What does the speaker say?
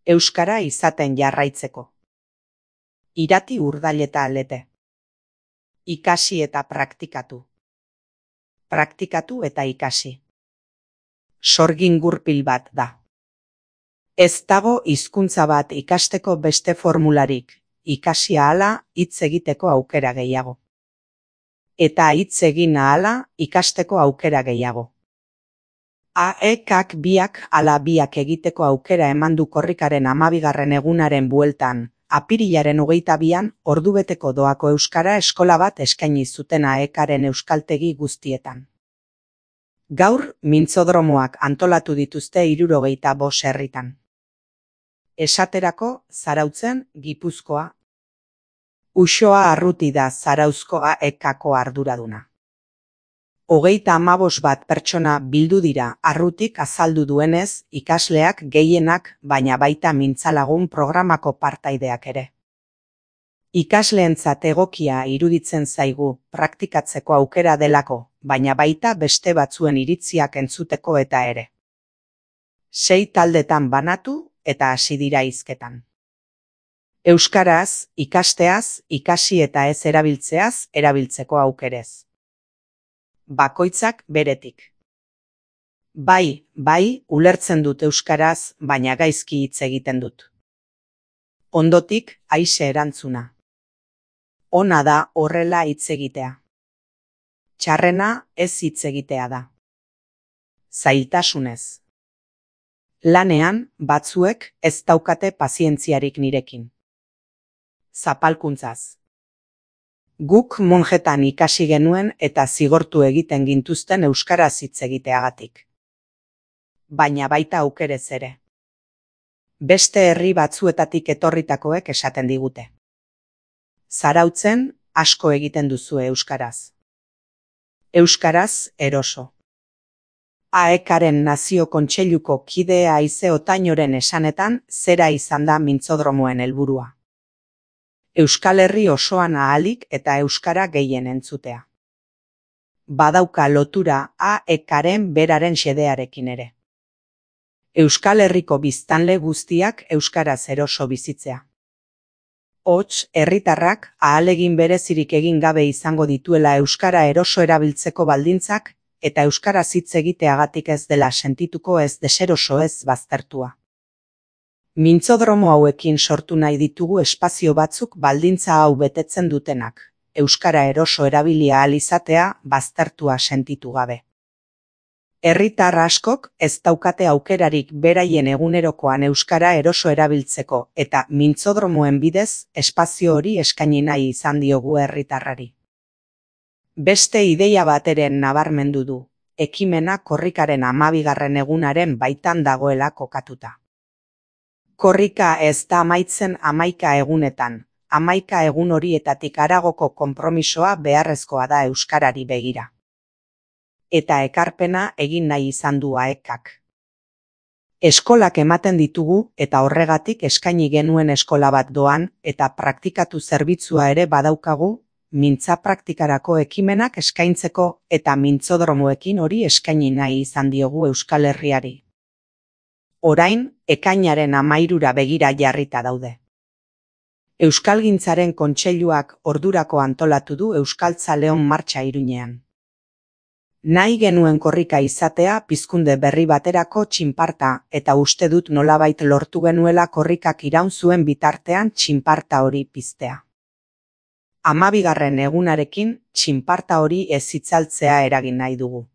Euskara izaten jarraitzeko. Irati urdaileta alete. Ikasi eta praktikatu. Praktikatu eta ikasi. Sorgin gurpil bat da. Ez dago hizkuntza bat ikasteko beste formularik, ikasi ahala hitz egiteko aukera gehiago. Eta hitz egin ahala ikasteko aukera gehiago. AEKak biak ala biak egiteko aukera eman du korrikaren 12. egunaren bueltan, apirilaren 22an ordubeteko doako euskara eskola bat eskaini zuten AEKaren euskaltegi guztietan. Gaur mintzodromoak antolatu dituzte 75 herritan. Esaterako Zarautzen, Gipuzkoa. Uxoa Arruti da Zarauzko AEKako arduraduna. 35 bat pertsona bildu dira Arrutik azaldu duenez, ikasleak gehienak, baina baita mintzalagun programako partaideak ere. Ikasleentzat egokia iruditzen zaigu praktikatzeko aukera delako, baina baita beste batzuen iritziak entzuteko eta ere. 6 taldetan banatu eta hasi dira hizketan. Euskaraz, ikasteaz, ikasi eta ez erabiltzeaz erabiltzeko aukerez. Bakoitzak beretik. Bai, ulertzen dut euskaraz, baina gaizki hitz egiten dut. Ondotik, Aixe erantzuna. Ona da horrela hitz egitea. Txarrena ez hitz egitea da. Zailtasunez. Lanean, batzuek ez daukate pazientziarik nirekin. Zapalkuntzaz. Guk monjetan ikasi genuen eta zigortu egiten gintuzten euskaraz hitz egiteagatik. Baina baita aukerez ere. Beste herri batzuetatik etorritakoek esaten digute. Zarautzen asko egiten duzu euskaraz. Euskaraz eroso. AEKaren Nazio Kontseiluko kidea Aize Otainoren esanetan zera izan da mintzodromoen helburua. Euskal Herri osoan ahalik eta euskara gehien entzutea. Badauka lotura AEKaren beraren xedearekin ere. Euskal Herriko biztanle guztiak euskaraz eroso bizitzea. Hots, herritarrak ahalegin berezirik egin gabe izango dituela euskara eroso erabiltzeko baldintzak eta euskaraz hitz egiteagatik ez dela sentituko ez deseroso ez baztertua. Mintzodromo hauekin sortu nahi ditugu espazio batzuk baldintza hau betetzen dutenak, euskara eroso erabilia ahal izatea baztertua sentitu gabe. Herritar askok ez daukate aukerarik beraien egunerokoan euskara eroso erabiltzeko eta mintzodromoen bidez espazio hori eskaini nahi izan diogu herritarrari. Beste ideia bateren nabarmendu du, ekimena korrikaren 12. egunaren baitan dagoela kokatuta. Korrika ez da amaitzen 11 egunetan, 11 egun horietatik haragoko konpromisoa beharrezkoa da euskarari begira. Eta ekarpena egin nahi izan du AEKak. Eskolak ematen ditugu eta horregatik eskaini genuen eskola bat doan eta praktikatu zerbitzua ere badaukagu, mintza praktikarako ekimenak eskaintzeko eta mintzodromoekin hori eskaini nahi izan diogu Euskal Herriari. Orain, ekainaren 13ra begira jarrita daude. Euskalgintzaren Kontseiluak ordurako antolatu du Euskaltzaleon martxa Iruñean. Nahi genuen korrika izatea pizkunde berri baterako txinparta eta uste dut nolabait lortu genuela korrikak iraun zuen bitartean txinparta hori piztea. 12. egunarekin txinparta hori ez itzaltzea eragin nahi dugu.